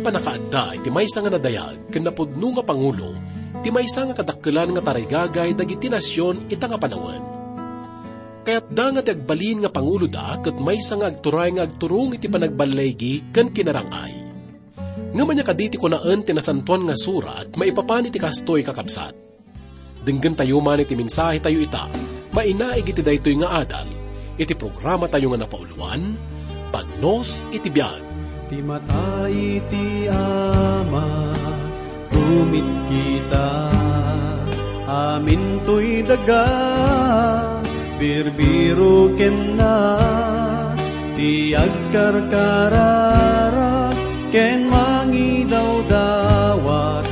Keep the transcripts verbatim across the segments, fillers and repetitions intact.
Pannakaadda iti maysa nga nadayag ken napudno nga pangulo ti maysa nga kadakkelan nga tarigagay dagiti nasion ita nga panawen. Kayatda nga ti agbalin nga panguloda ket maysa nga agturay nga agturong iti panagballigi ken kinarang-ay. Ngem ania kadi ti kunaen ti Nasantoan nga Surat maipapan iti kastoy, kakabsat? Denggentayo man iti mensahetayo ita, mainaig iti daytoy nga adal, iti programatayo nga napauloan, Pagnos iti Biag. Ti mata iti Ama, tumitkita, amintoy daga, birbiro kenna, ti agkarkararag ken mangidawdawat,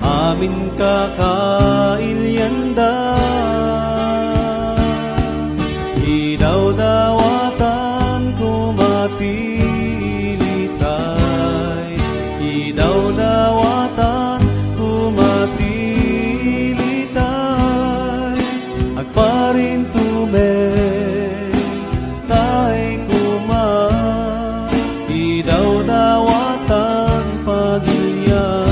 amin kakailianda. Idawdawatan koma ti ilitay, idawdawatan koma ti ilitay, agparintumek tay koma, idawdawatan pagilian,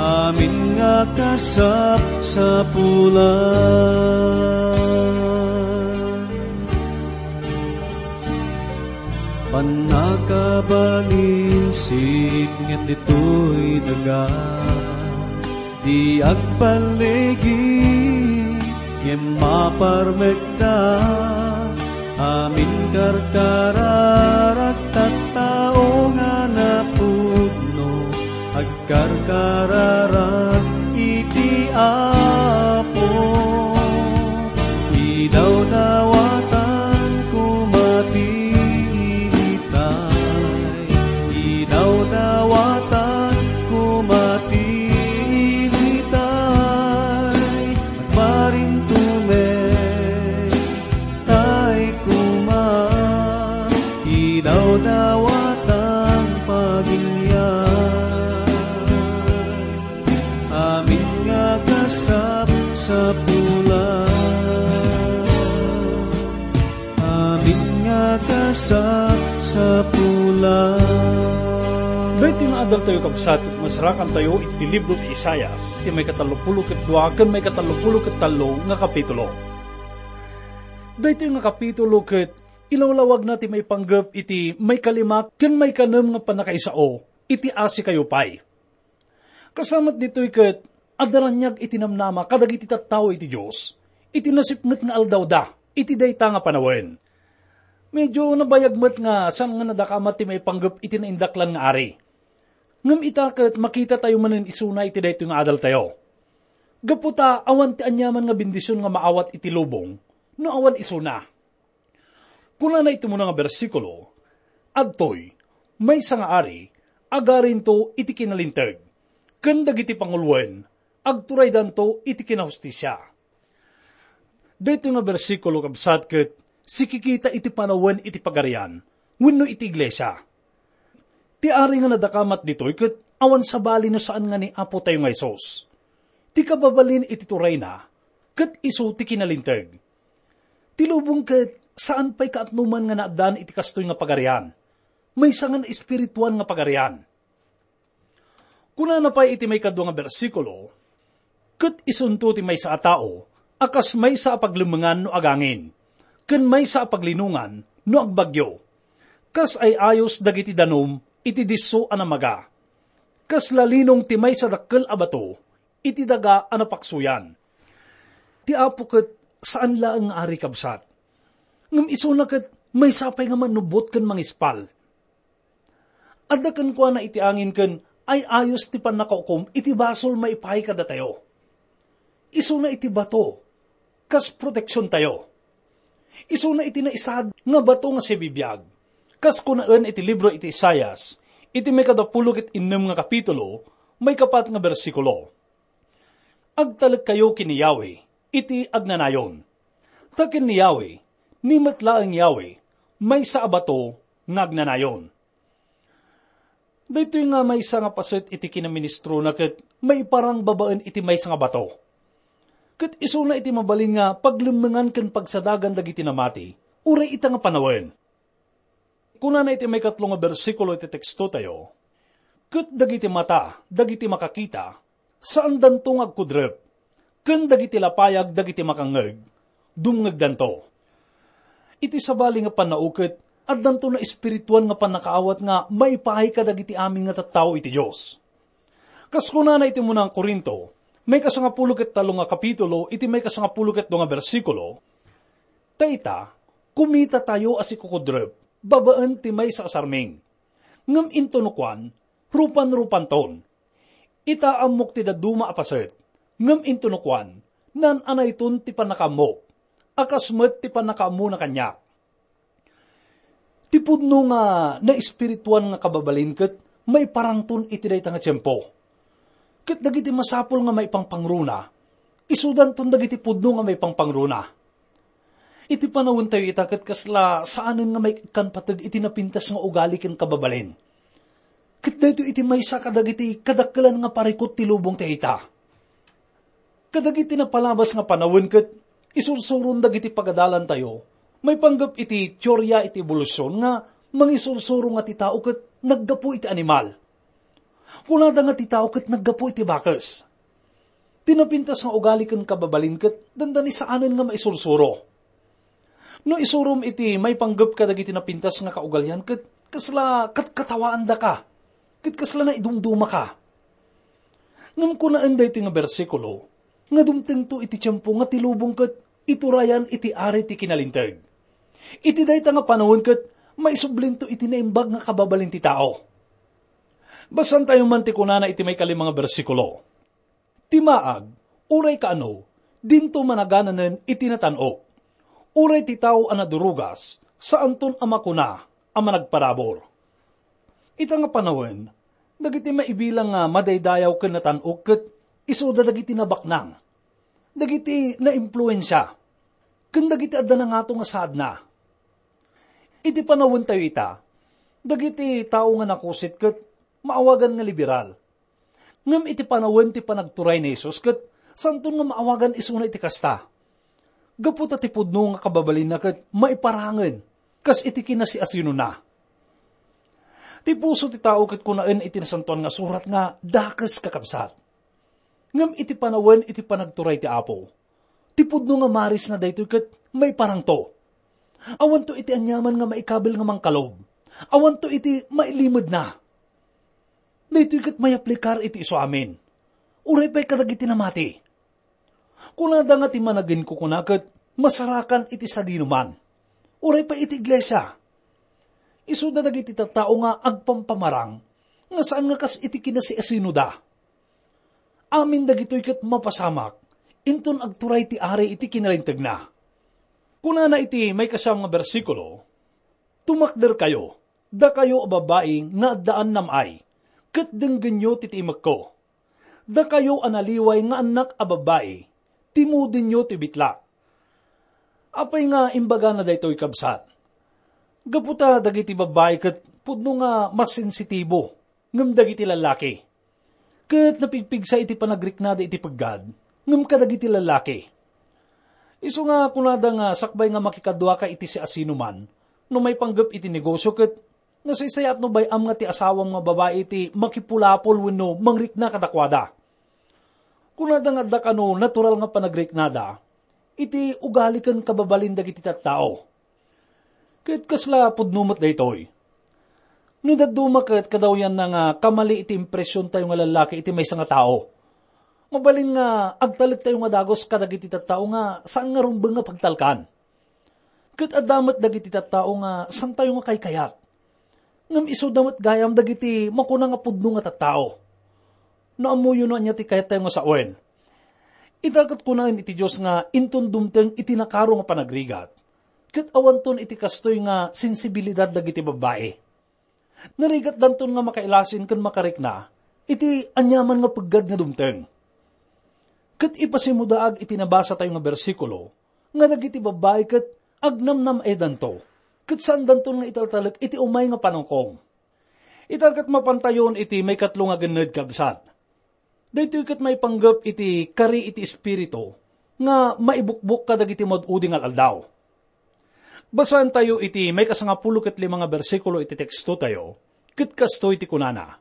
amin nga kasapsapulan. Pannakabalin sipnget ditoy daga, di agballigi ngem maparmekda, amin karkararag tattao nga napudno, agkarkararag iti Apo. Idawdawatan koma ti ilitay, idawdawatan koma ti ilitay, agparintumek tay koma, idawdawatan pagilian, amin nga kasapsapulan, amin nga kasapsapulan. Daytoy nga adaltayo, kabsat, ket masarakantayo iti libro ti Isaias, iti maikatallopulo ket dua ken maikatallopulo ket tallo nga kapitulo. Daytoy nga kapitulo ket ilawlawagna ti maipanggep iti maikalima ken maikanem nga pannakaisao iti asikayo pay. Kasamat ditoy ket adda raniag iti namnama kadagiti tattao iti Dios iti nasipnget nga aldawda iti dayta nga panawen. Medyo nabayag met nga saan nga nadakamat ti maipanggep iti naindaklan nga ari. Ngem ita ket makitatayo manen isuna iti daytoy nga adaltayo. Gapu ta awan ti aniaman nga bendision nga maawat iti lubong no awan isuna. Kunana iti umuna nga bersikulo, "Adtoy, maysa nga ari, agarinto iti kinalinteg, ken dagiti panguloen, agturaydanto iti kinahustisia." Daytoy nga bersikulo, kabsat, ket sikikita iti panawen iti Pagarian wenno iti iglesia. Ti ari nga nadakamat ditoy ket awan sabali no saan nga ni Apotayo nga Jesus. Ti kababalin iti turayna ket isu ti kinalinteg. Ti lubong ket saan pay kaatnoman nga naaddaan iti kastoy nga pagarian. Maysa nga naespirituan nga pagarian. Kunana pay iti maikadua nga bersikulo, "Ket isunto ti maysa a tao a kas maysa a paglemmengan no agangin, ken maysa a paglinongan no agbagyo. Kas ay-ayos dagiti danum iti disso a namaga. Kas lalinong ti maysa dakkel a bato iti daga a napaksoyan." Ti Apo ket saan laeng nga ari, kabsat. Ngem isuna ket maysa pay nga mannubbot ken mangispal. Adda kenkuana iti angin ken ay-ayos ti pannakaukom iti basol maipaay kadatayo. Isuna iti bato, kas proteksiontayo. Isuna iti naisaad nga bato nga sibibiag. Kas kunaen iti libro iti Isaias, iti maikadapulo ket innem nga kapitulo, maikapat nga bersikulo, "Agtalekkayo ken ni Yahweh iti agnanayon. Ta ken ni Yahweh, ni met laeng Yahweh, maysa a bato nga agnanayon." Daytoy nga maysa nga paset iti kinaministrona ket maiparang babaen iti maysa nga bato. Ket isuna iti mabalin nga paglemmengan ken pagsadagan dagiti namati, uray ita nga panawen. Kunana iti maikatlo nga bersikulo iti tekstotayo, "Ket dagiti mata dagiti makakita, saandanto nga agkudrep, ken dagiti lapayag dagiti makangngeg, dumngegdanto." Iti sabali nga pannauket, addanto naespirituan nga pannakaawat nga maipaay kadagiti amin nga tattao iti Dios. Kas kunana iti munang Corinto, maikasangapulo ket tallo nga kapitulo, iti maikasangapulo ket dua nga bersikulo, "Ta ita, kumitatayo a sikukudrep babaen ti maysa a sarming. Ngem intono kuan, rupan-rupanton. Ita, ammok ti dadduma a paset, ngem intono kuan, naan-anayton ti pannakaammok, a kas met ti pannakaammona kaniak." Ti pudno nga naespirituan nga kababalin ket maiparangton iti dayta nga tiempo. Ket dagiti masapul nga maipangpangruna, isudanton dagiti pudno nga maipangpangruna. Iti panawentayo ita ket kasla saanen nga maikkan pateg iti napintas nga ugali ken kababalin. Ket daytoy iti maysa kadagiti kadakkelan nga parikut ti lubong ti ita. Kadagiti napalabas nga panawen ket isursuron dagiti pagadalantayo, maipanggep iti teoria iti ebolusyon nga mangisursuro nga ti tao ket naggapu iti animal. Kunada nga ti tao ket naggapu iti bakes. Ti napintas nga ugali ken kababalin ket dandani saanen nga maisursuro. No isurom iti maipanggep kadagiti napintas nga kaugalian ket kasla katkatawaandaka, ket kasla naidumdumaka. Ngem kunaen daytoy nga bersikulo nga dumtengto iti tiempo nga ti lubong ket iturayan iti ari ti kinalinteg. Iti dayta nga panawen ket maisublinto iti naimbag nga kababalin ti tao. Basaantayo man ti kunana iti maikalima nga bersikulo. Ti maag, uray kaano, dinto managananen iti natan-ok. Uray ti tao a nadurugas, saanton a makuna a managparabur. Ita nga panawen, dagiti maibilang nga madaydayaw ken natan-ok ket isuda dagiti nabaknang, dagiti naimpluensia, ken dagiti adda nangato nga saadna. Iti panawentayo ita, dagiti tao nga nakusit ket maawagan nga liberal. Ngem iti panawen ti panagturay ni Jesus ket santon nga maawagan isuna iti kasta. Gapu ta ti pudno nga kababalinna ket maiparangen kas iti kinasiasinona. Ti puso ti tao ket kunaen iti Nasantoan nga Surat nga dakes, kakabsat. Ngem iti panawen iti panagturay ti Apo, ti pudno nga marisna daytoy ket maiparangto. Awanto iti aniaman nga maikabil nga mangkalob. Awanto iti mailimedna. Daytoy ket mayaplikar iti isuamin. Uray pay kadagiti namati. Kunada nga ti managinkukuna ket masarakan iti sadinoman. Uray pay iti iglesia. Isuda dagiti tattao nga agpampamarang nga saan nga kas iti kinasiasinoda. Amin dagitoy ket mapasamak, inton agturay ti Ari iti kinalinteg na. Kunana iti maikasiam nga bersikulo, "Tumakderkayo, dakayo a babbai nga addaan nam-ay, ket denggenyo ti tiimekko. Dakayo a naliway nga annak a babbai, timudenyo ti bitlak." Apay nga imbagana daytoy, kabsat? Gapu ta dagiti babbai ket pudno nga masensitibo ngem dagiti lallaki. Ket napigpigsa iti panagriknada iti peggad ngem kadagiti lallaki. Isu nga kunada nga sakbay nga makikaduaka iti siasinoman, no maipanggep iti negosio ket nasaysayaat no bay-am nga ti asawam nga babai ti makipulapol wenno mangrikna kadakuada. Kunada nga adda kano natural nga panagriknada iti ugali ken kababalin dagiti tattao. Ket kasla pudno met daytoy. No dadduma ket kadawyanna nga kamali iti impresiontayo nga lallaki iti maysa nga tao, mabalin nga agtalektayo nga dagus kadagiti tattao nga saan nga rumbeng nga pagtalkan. Ket adda met dagiti tattao nga santayo nga kaykayat. Ngem isuda met gayam dagiti makuna nga pudno nga tattao. No ammoyo no ania ti kayattayo nga sawen. Ita ket kunaen iti Dios nga inton dumteng iti nakaro nga panagrigat, ket awanton iti kastoy nga sensibilidad dagiti babbai. Narigatdanton nga makailasin ken makarikna iti aniaman nga peggad nga dumteng. Ket ipasimudaag iti nabasatayo nga bersikulo nga dagiti babbai ket agnamnam-edanto, ket saandanton nga italtalek iti umay nga panungkong. Ita ket mapantayon iti maikatlo nga genned, kabsat. Daytoy ket maipanggep iti kari iti Espiritu nga maibukbok kadagiti maud-udi nga al-aldaw. Basaentayo iti maikasangapulo ket lima nga bersikulo iti tekstotayo, ket kastoy ti kunana,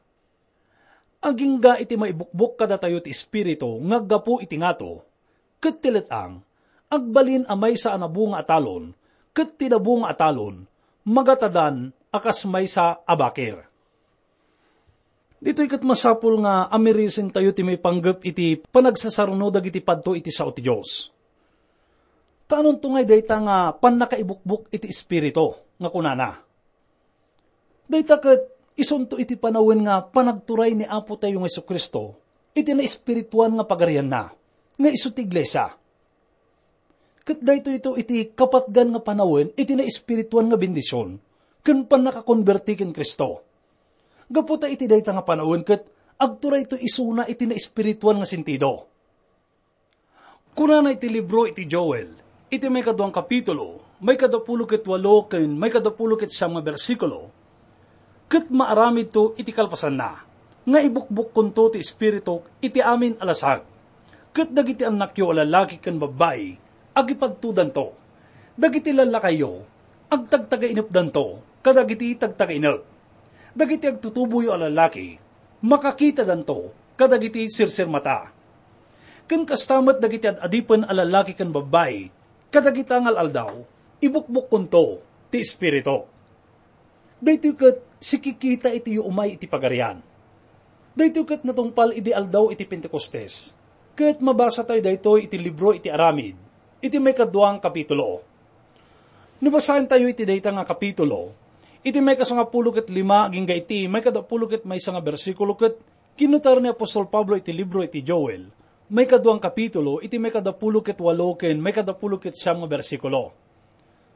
"Agingga iti maibukbok kadatayo ti Espiritu nga aggapu iti ngato, ket ti let-ang, agbalin a maysa a nabunga a talon, ket ti nabunga a talon, magatadan a kas maysa a bakir." Ditoy ket masapul nga amirisentayo ti maipanggep iti panagsasaruno dagiti padto iti sao ti Dios. Kaanonto ngay dayta nga pannakaibukbok iti Espiritu nga kunana? Dayta ket isunto iti panawen nga panagturay ni Apotayo nga Jesu-Cristo iti naespirituan nga pagarianna, nga isu ti iglesia. Ket daytoy iti kapatgan nga panawen iti naespirituan nga bendision ken pannakakonberti ken Cristo. Gapu ta iti dayta nga panawen ket agturayto isuna iti naespirituan nga sentido. Kunana iti libro iti Joel, iti maikadua nga kapitulo, maikadapulo ket walo ken maikadapulo ket siam nga bersikulo, "Ket maaramidto iti kalpasanna, nga ibukbukkonto ti Espirituk iti amin a lasag. Ket dagiti annakyo a lallaki ken babbai, agipadtodanto. Dagiti lallakayyo, agtagtagainepdanto kadagiti tagtagainep. Dagiti agtutuboyo a lallaki, makakitadanto kadagiti sirsirmata. Ken kasta met dagiti ad-adipen a lallaki ken babbai, kadagita nga al-aldaw, ibukbukkonto ti Espiritu." Daytoy ket sikikita iti umay iti Pagarian. Daytoy ket natungpal idi aldaw iti Pentecostes, ket mabasatayo daytoy iti libro iti Aramid, iti maikadua nga kapitulo. No basaentayo iti dayta nga kapitulo, iti maikasangapulo ket lima agingga iti maikadapulo ket maysa nga bersikulo, ket kinnutar ni apostol Pablo iti libro iti Joel, maikadua nga kapitulo, iti maikadapulo ket walo ken maikadapulo ket siam nga bersikulo.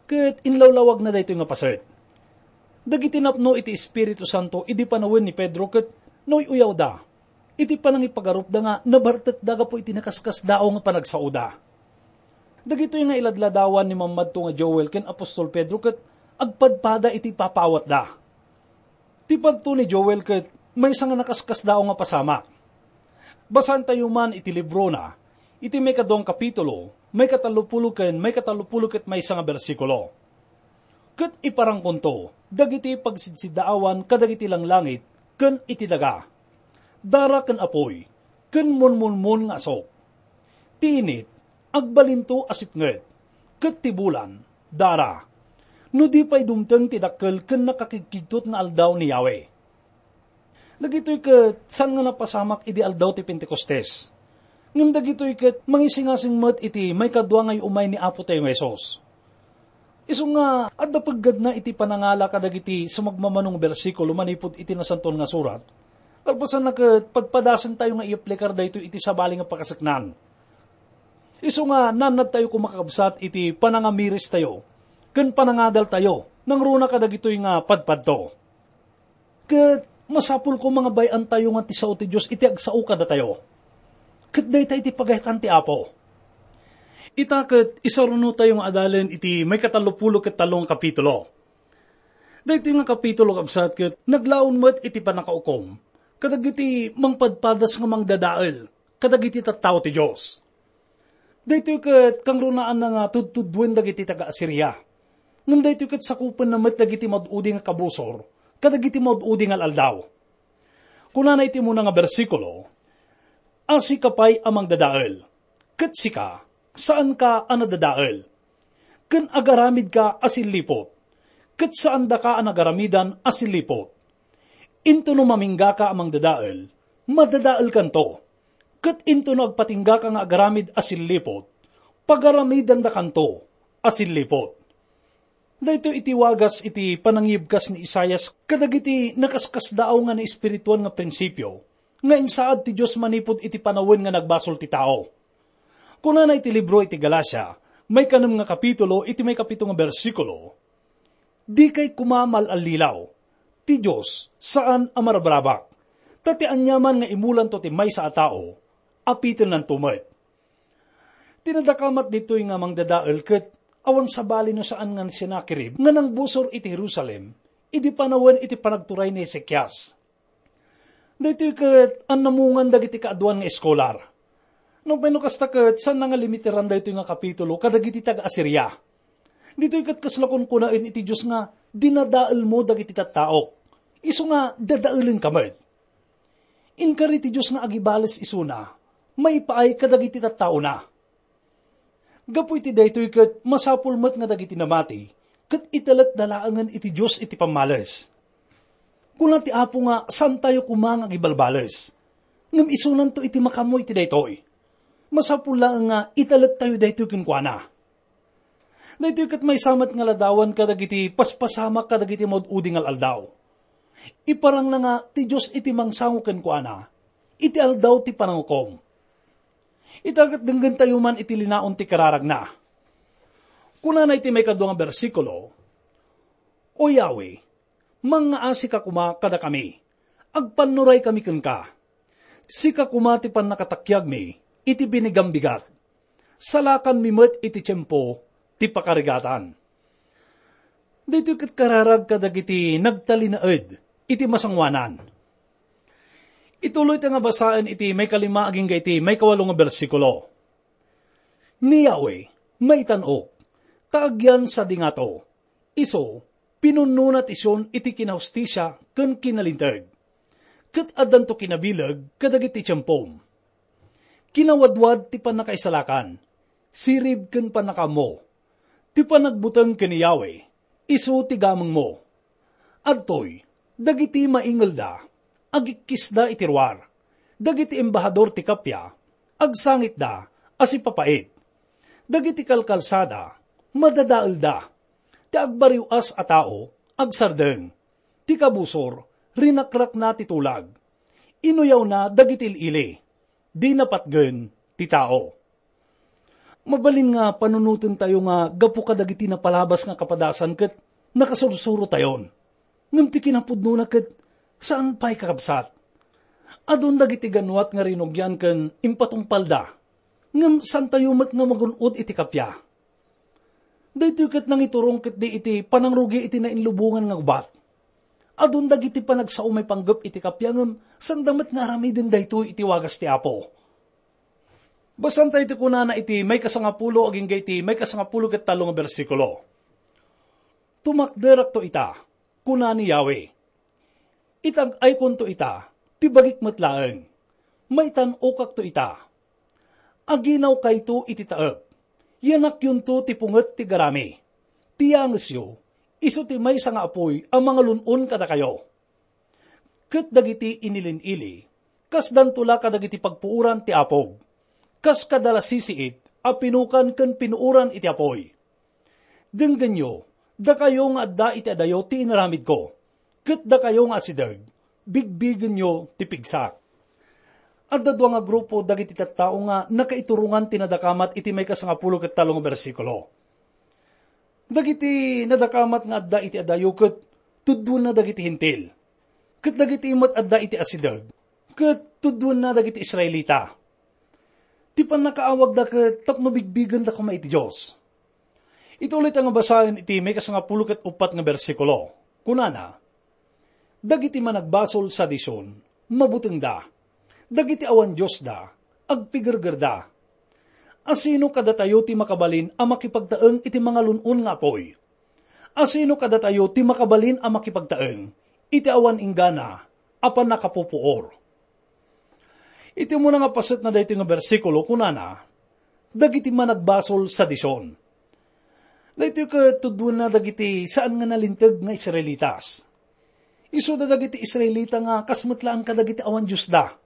Ket inlawlawagna daytoy nga paset. Dagiti napno iti Espiritu Santo idi panawen ni Pedro ket nauy-uyawda iti panangipagarupda nga nabartekda gapu iti nakaskasdaaw nga panagsaoda. Dagitoy nga iladladawan ni mammadto nga Joel ken apostol Pedro ket agpadpada iti papaawatda. Ti padto ni Joel ket maysa nga nakaskasdaaw nga pasamak. Basaentayo man iti librona, iti maikadua nga kapitulo, maikatallopulo ken maikatallopulo ket maysa nga bersikulo. "Ket iparangkonto dagiti pagsidsiddaawan kadagiti langlangit ken iti daga, dara ken apuy, ken munmunmon nga asok. Ti init, agbalinto a sipnget, ket ti bulan, dara, no di pay dumteng ti dakkel ken nakakigkigtot nga aldaw ni Yahweh." Dagitoy ket saan nga napasamak idi aldaw ti Pentecostes. Ngem dagitoy ket mangisingasing met iti maikadua nga umay ni Apotayo nga Jesus. Isu nga adda peggadna iti panangala kadagiti sumagmamano nga bersikulo manipud iti Nasantoan nga Surat, kalpasanna ket padpadasentayo nga iaplikar daytoy iti sabali nga pakaseknan. Isu nga naannadtayo koma, kakabsat, iti panangamiristayo ken panangadaltayo nangruna kadagitoy nga padpadto. Ket masapul koma nga bay-antayo nga ti sao ti Dios iti agsao kadatayo. Ket dayta iti pagayatan ti Apo. Ita ket isarunotayo nga adalen iti maikatallopulo ket tallo nga kapitulo. Daytoy nga kapitulo, kabsat, ket naglaon met iti pannakaukom kadagiti mangpadpadas nga mangdadael kadagiti tattao ti Dios. Daytoy ket kangrunaanna nga tudtuduen dagiti taga-Asiria. Ngem daytoy ket sakupenna met dagiti maud-udi nga kabusor kadagiti maud-udi nga al-aldaw. Kunana iti umuna nga bersikulo, "A sika pay a mangdadael, ket sika, saanka a nadadael, ken agaramidka a silliput, ket saandaka a nagaramidan a silliput. Into no maminggaka a mangdadael, madadaelkanto, ket into no agpatinggaka nga agaramid a silliput, pagaramidandakanto a silliput." Daytoy iti wagas iti panangibkas ni Isaias kadagiti nakaskasdaaw nga naespirituan nga prinsipio nga insaad ti Dios manipud iti panawen nga nagbasol ti tao. Kunana iti libro iti Galacia, maikanem nga kapitulo, iti maikapito nga bersikulo, "Dikay koma mal-allilaw. Ti Dios saan a marabrabak. Ta ti aniaman nga imulanto ti maysa a tao, apitennanto met." Ti nadakamat ditoy nga mangdadael ket awan sabali no saan nga ni Sennacherib nga nangbusor iti Jerusalem idi panawen iti panagturay ni Ezekias. Daytoy ket annamungan dagiti kaaduan nga eskolar. Nupay no kasta ket saan nga limiteran daytoy nga kapitulo kadagiti taga-Asiria. Ditoy ket kasla kunkunaen iti Dios nga, "Dinadaelmo dagiti tattaok, isu nga dadaelenka met." Inkari ti Dios nga agibales isuna, maipaay kadagiti tattaona. Gapu iti daytoy ket masapul met nga dagiti namati ket itelekda laengen iti Dios iti pammales. Kuna ti Apo nga saantayo koma nga agibalbales, ngem isunanto iti makaammo iti daytoy. Masapul laeng nga itelektayo daytoy kenkuana. Daytoy ket maysa met nga ladawan kadagiti paspasamak kadagiti maud-udi nga al-aldaw. Iparangna nga ti Dios iti mangsango kenkuana iti aldaw ti panangukom. Ita ket denggentayo man iti linaon ti kararagna. Kunana iti maikadua nga bersikulo, "O Yahweh, mangngaasika koma kadakami, agpannuraykami kenka. Sika koma ti pannakatakiagmi iti binigam bigat. Salakanmi met iti tiempo ti pakarigatan." Daytoy ket kararag kadagiti nagtalinaed iti masangoanan. Ituloy ta nga basaen iti maikalima agingga iti maikawalo nga bersikulo. Ni Yahweh, maitan-ok, ta agyan sadi ngato. Isu, pinunnona ti Sion iti kinahustisia ken kinalinteg. Ket addanto kinabileg kadagiti tiempom. Kinawadwad ti pannakaisalakan, sirib ken pannakaammo. Ti panagbuteng ken ni Yahweh, isu ti gamengmo. Adtoy, dagiti maingelda, agikkisda iti ruar. Dagiti embahador ti kappia, agsangitda a sipapait. Dagiti kalkalsada, madadaelda. Ti agbariw-as a tao, agsardeng. Ti kabusor, rinakrakna ti tulag. Inuyawna dagiti il-ili. Dina patgen ti tao. Mabalin nga panunotentayo nga gapu kadagiti napalabas nga kapadasan ket nakasursurotayon. Ngem ti kinapudnona ket saan pay, kakabsat. Adun dagiti gannuat nga rinugian ken impatungpalda. Ngem saantayo met nga magun-od iti kappia. Daytoy ket nangiturong ketdi iti panangrugi iti nainlubongan nga gubat. Adun dagiti panagsao maipanggep iti kappia ngem saanda met nga aramiden daytoy iti wagas ti Apo. Basaentayo ti kunana iti maikasangapulo agingga iti maikasangapulo ket tallo nga bersikulo. "Tumakderakto ita," kuna ni Yahweh. "Itag-aykonto ita, ti bagik met laeng. Maitan-okakto ita. Aginawkayto iti taep. Yanakyonto ti punget ti garami. Ti yangesyo, isu ti maysa nga apuy a mangalun-on kadakayo." Ket dagiti inilin-ili, kasdanto la kadagiti pagpuoran ti apog, kas kadalasisiit a pinukan ken pinuoran iti apuy. Denggenyo, dakayo nga adda iti adayo ti inaramidko, ket dakayo nga asideg, bigbigenyo ti pigsak. Adda dua nga grupo dagiti tattao nga nakaiturongan ti nadakamat iti maikasangapulo ket tallo nga bersikulo. Dagiti nadakamat nga adda iti adayo ket tudduenna dagiti Hentil, ket dagiti met adda iti asideg ket tudduenna dagiti Israelita. Ti pannakaawagda ket tapno bigbigenda koma iti Dios. Ituloy ta nga basaen iti maikasangapulo ket uppat nga bersikulo. Kunana, "Dagiti managbasol sadi Sion, mabutengda. Dagiti awan Diosda, agpigergerda. Asino kadatayo ti makabalin a makipagtaeng iti mangalun-on nga apuy? Asino kadatayo ti makabalin a makipagtaeng iti awan inggana a pannakapupuor?" Iti umuna nga paset na daytoy nga bersikulo, kunana, "Dagiti managbasol sadi Sion." Daytoy ket tudduenna dagiti saan nga nalinteg nga Israelitas. Isuda dagiti Israelita nga kas met laeng kadagiti awan Diosda.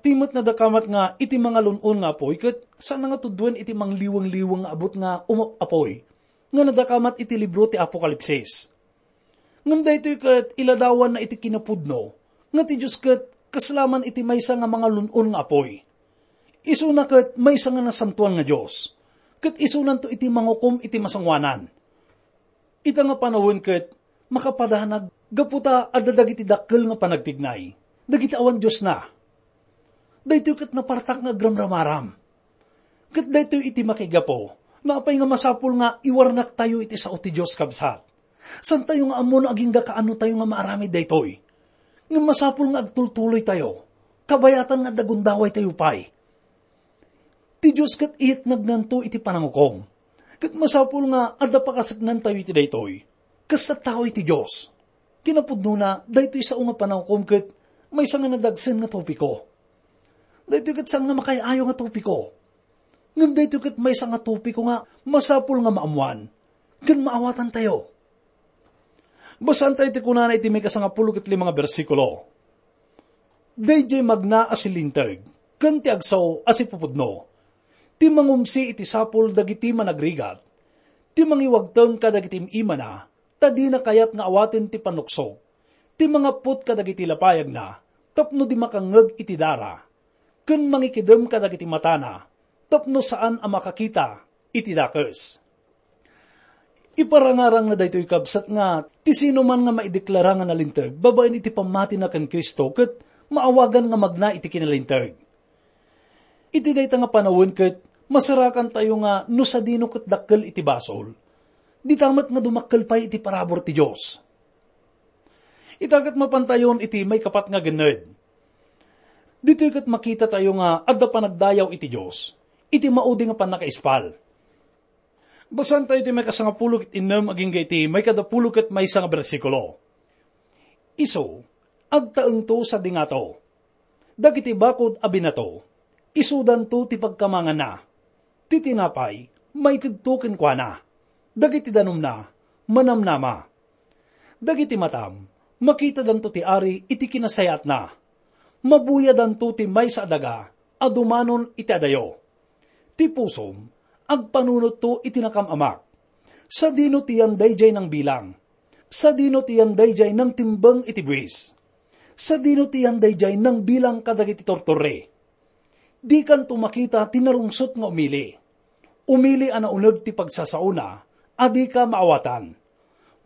Ti met nadakamat nga iti mangalun-on nga apuy ket saan nga tudduen iti mangliweng-liweng nga abut nga umap-apuy nga nadakamat iti libro ti Apokalipsis. Ngem daytoy ket iladawanna iti kinapudno nga ti Dios ket kasla man iti maysa nga mangalun-on nga apuy. Isuna ket maysa nga nasantoan nga Dios, ket isunanto iti mangukom iti masangoanan. Ita nga panawen ket makapadanag gapu ta adda dagiti dakkel nga panagtignay, dagiti awan Diosna. Daytoy ket napartak nga agramramaram. Ket daytoy iti makigapu, apay nga masapul nga iwarnaktayo iti sao ti Dios, kabsat. Santayo nga ammo no agingga kaanotayo nga maaramid daytoy. Ngem masapul nga agtultuloytayo, kabayatan nga adda gundawaytayo pay. Ti Dios ket iyetnagnanto iti panangukom. Ket masapul nga adda pakaseknantayo iti daytoy. Kasta tayo iti Dios. Kinapudnona, daytoy sao nga panawkom ket maysa nga nadagsen nga topiko. Daytoy ket saan nga makayayo nga topiko. Ngem daytoy ket maysa nga topiko nga masapul nga maammoan ken maawatantayo. Basaentayo ti kunana iti maikasangapulo ket lima nga bersikulo. Daydiay magna a silinteg ken ti agsao a sipupudno, ti mangumsi iti sapul dagiti managrigat, ti mangiwagteng kadagiti im-imana, ta dina kayat nga awaten ti pannuksok, ti mangapput kadagiti lapayagna tapno di makangngeg iti dara, ken mangikidem kadagiti matana tapno saan a makakita iti dakes. Iparangarangna daytoy, kabsat, nga ti sinoman nga maideklara nga nalinteg babaen iti pammatina ken Cristo ket maawagan nga magna iti kinalinteg. Iti dayta nga panawen ket masarakantayo nga no sadino ket dakkel iti basol, dita met nga dumakkel pay iti parabur ti Dios. Ita ket mapantayon iti maikapat nga genned. Ditoy ket makitatayo nga adda panagdayaw iti Dios iti maudi nga pannakaispal. Basaentayo ti maikasangapulo ket innem agingga iti maikadapulo ket maysa nga bersikulo. Isu, agtaengto sadi ngato. Dagiti bakud a binato, isudanto ti pagkamanganna. Ti tinapay, maitedto kenkuana. Dagiti danumna, manamnama. Dagiti matam, makitadanto ti Ari iti kinasayaatna. Mabuyadanto ti maysa a daga a dumanon iti adayo. Ti pusom, agpanunotto iti nakam-amak. Sadino ti yan daydiay nangbilang? Sadino ti yan daydiay nangtimbeng iti buis? Sadino ti yan daydiay nangbilang kadagiti tortorre? Dikanto makita ti narungsot nga umili. Umili a nauneg ti pagsasaona a dika maawatan.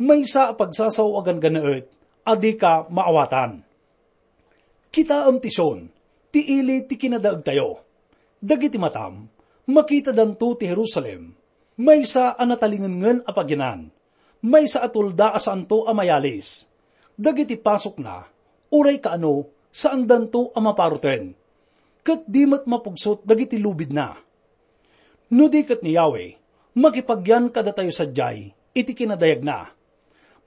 Maysa a pagsasao a ganggannaet a dika maawatan. Kitaem ti Sion, ti ili ti kinadaegtayo. Dagiti matam, makitadanto ti Jerusalem, maysa a natalingengen a paginan, maysa a tulda a saanto a mayalis. Dagiti pasokna, uray kaano, saandanto a maparoten. Ket di met mapugsot dagiti lubidna. No di ket ni Yahweh, makipagyan kadatayo sadiay iti kinadayagna.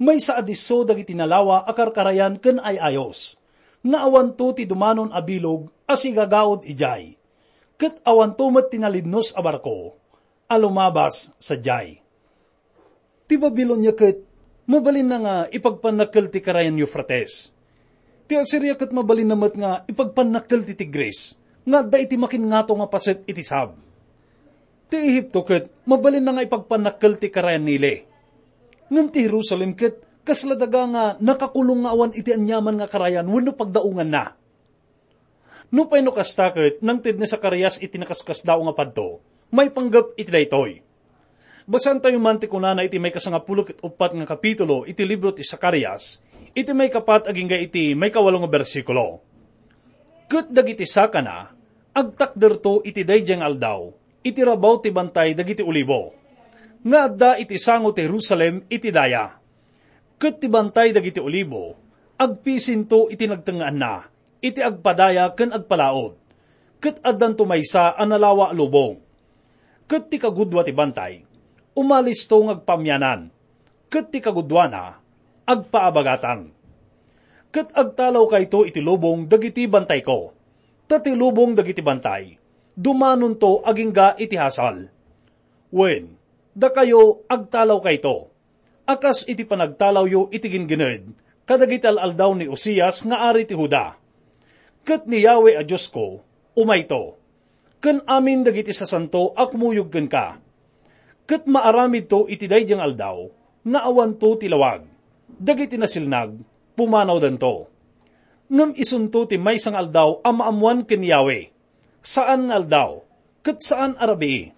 Maysa a disso dagiti nalawa a karkarayan ken ay-ayos, nga awanto ti dumanon a bilog a sigagaud idiay, ket awanto met ti nalidnos a barko a lumabas sadiay. Ti Babilonia ket mabalinna nga ipagpannakkel ti Karayan Eufrates. Ti Asiria ket mabalinna met nga ipagpannakkel ti Tigris, nga adda iti makinngato nga paset iti sab. Ti Ehipto ket mabalinna nga ipagpannakkel ti Karayan Nile. Ngem ti Jerusalem ket kasla daga nga nakakulong nga awan iti aniaman nga karayan wenno pagdaonganna. Nupay no kasta ket, nangted ni Zacarias iti nakaskasdaaw nga padto, maipanggep iti daytoy. Basaentayo man ti kunana iti maikasangapulo ket uppat nga kapitulo iti libro ti Zacarias, iti maikapat agingga iti maikawalo nga bersikulo. Ket dagiti sakana, agtakderto iti daydiay nga aldaw, iti rabaw ti bantay dagiti olibo, nga adda iti sango ti Jerusalem iti daya. Ket ti bantay dagiti olibo, agpisinto iti nagtengngaanna, iti agpadaya ken agpalaod. Ket addanto maysa a nalawa a lubong. Ket ti kagudua ti bantay, umalisto nga agpamyanan. Ket ti kagudua na, agpaabagatan. Ket agtalawkayto iti lubong dagiti bantayko. Ta ti lubong dagiti bantay, dumanonto agingga iti hasal. Wen, dakayo agtalawkayto, a kas iti panagtalawyo iti ginggined kadagiti al-aldaw ni Uzias nga ari ti Juda. Ket ni Yahweh a Diosko, umayto, ken amin dagiti sasanto a kumuyog kenka. Ket maaramidto iti daydiay nga aldaw nga awanto ti lawag. Dagiti nasilnag, pumanawdanto. Ngem isunto ti maysa nga aldaw a maammoan ken Yahweh. Saan nga aldaw, ket saan a rabii.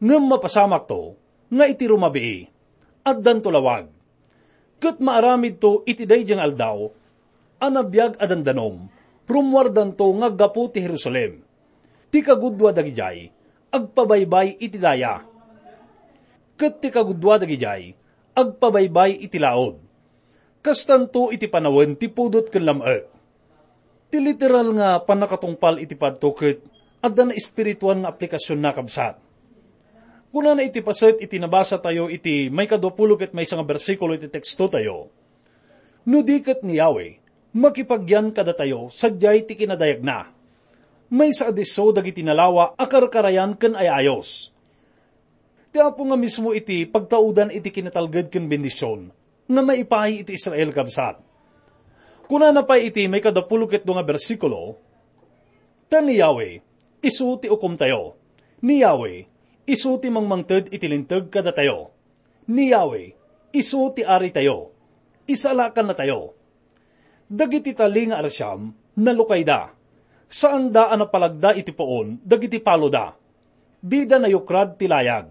Ngem mapasamakto nga iti rumabii, addanto lawag. Ket maaramidto iti daydiay nga aldaw a nabiag a dandanom, rummuardanto nga aggapu ti Jerusalem. Ti kagudua dagidiay, agpabaybay iti daya. Ket ti kagudua dagidiay, agpabaybay iti laod. Kastanto iti panawen ti pudot ken lam-ek. Ti literal nga pannakatungpal iti padto ket adda naespirituan nga aplikasionna, kabsat. Kunana iti paset iti nabasatayo iti maikadua pulo ket maysa nga bersikulo iti tekstotayo, "No di ket ni Yahweh makipagyan kadatayo sadiay ti kinadayagna, maysa a disso dagiti nalawa a karkarayan ken ay-ayos." Ti Apo nga mismo iti pagtaudan iti kinatalged ken bendision nga maipaay iti Israel, kabsat. Kunana pay iti maikadapulo ket dua nga bersikulo, "Ta ni Yahweh, isu ti ukomtayo. Ni Yahweh, isu ti mangmangted iti linteg kadatayo. Ni Yahweh, isu ti aritayo. Isalakannatayo." Dagiti tali nga arsiam, nalukayda. Saanda a napalagda iti puon dagiti paloda. Dida nayukrad ti layag.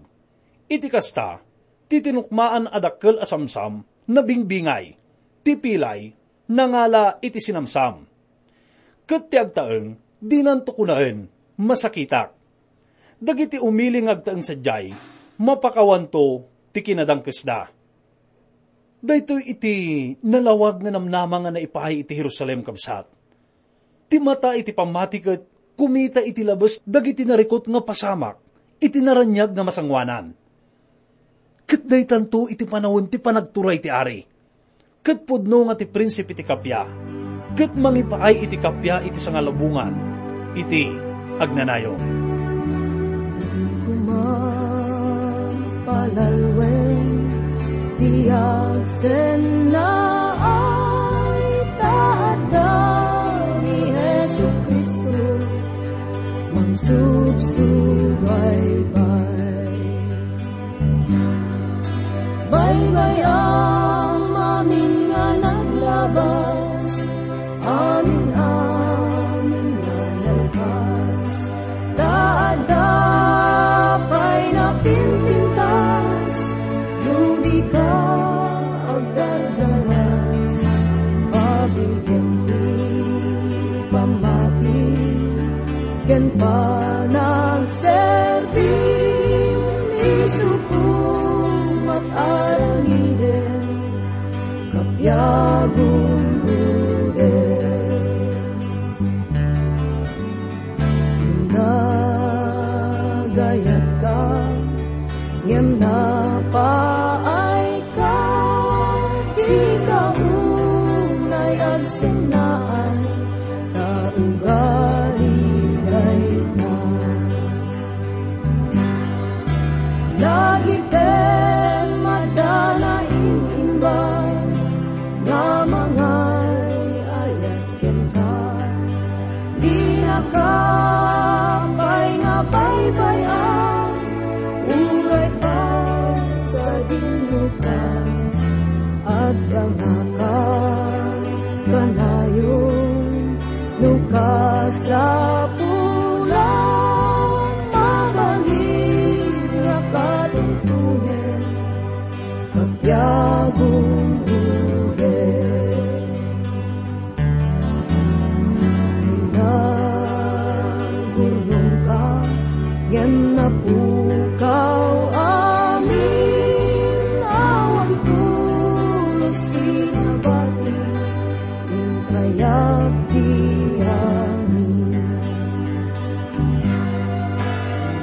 Iti kasta, ti tinukmaan a dakkel a samsam, nabingbingay. Ti pilay, nangala iti sinamsam. Ket ti agtaeng, dinanto kunaen, "Masakitak." Dagiti umili nga agtaeng sadiay, mapakawanto ti kinadangkesda. Daytoy iti nalawag nga namnama nga naipaay iti Jerusalem, kabsat. Ti mata iti pammati ket kumita iti labes dagiti narikut nga pasamak iti naraniag nga masangoanan. Ket daytanto iti panawen ti panagturay ti ari. Ket pudno nga ti prinsipe ti kappia, ket mangipaay iti kappia iti sangalubongan iti agnanayon. Koma palalwen ti agsennaay, ta adda ni Jesu-Cristo mangsubsubaybay. Baybay-am amin nga naglabas, amin-amin nga nalpas, ta adda pay napimpintas, no di ka agdardanas, pabilgen ti pammati ken panagserbi, ni Supo mat-aramidenka, kappia gumgudem. Nagayatka ngem napaayka, dika unay agsennaay, ta ugali dayta. Lagipem adda naimbag nga mangay-ayat kenka. Dinaka pay nga baybay-an, uray pay sadinoka. Adda nga kanayon no kasapulan, mabalin nga katungtungen, kappia gumgudem. Nagurnongka ngem napukaw amin, awan pulos kinabati, inkayat ti amin.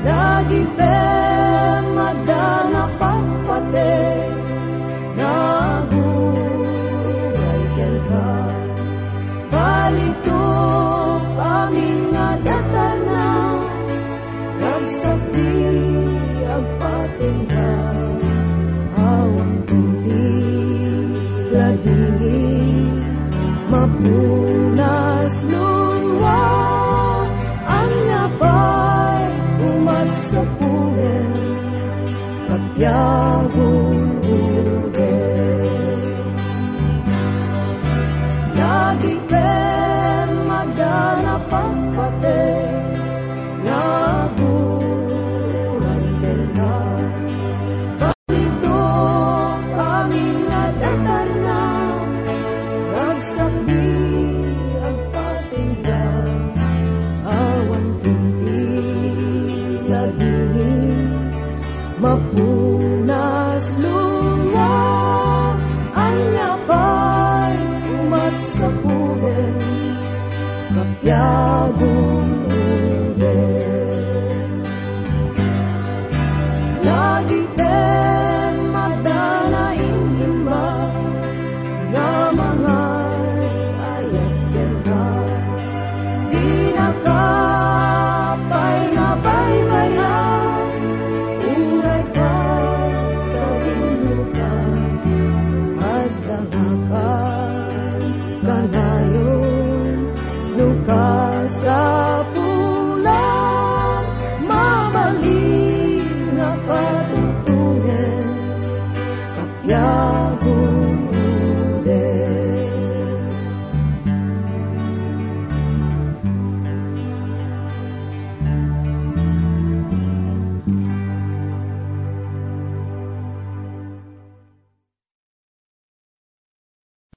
Lagipem adda napatpateg, naguray kenka. Balitok amin nga datarna, ragsak ti agpatingga. Awan kunti ladingit, mapunas lunwa, ania pay umat sapulen, kappia gumgudem. Lagipem adda napatpateg, naguray kenka. Balitok amin nga datarna, ragsak ti agpatingga. Awan kunti ladingit, mapunas lunwa, ania pay umat sapulen, kappia gumgudem. sa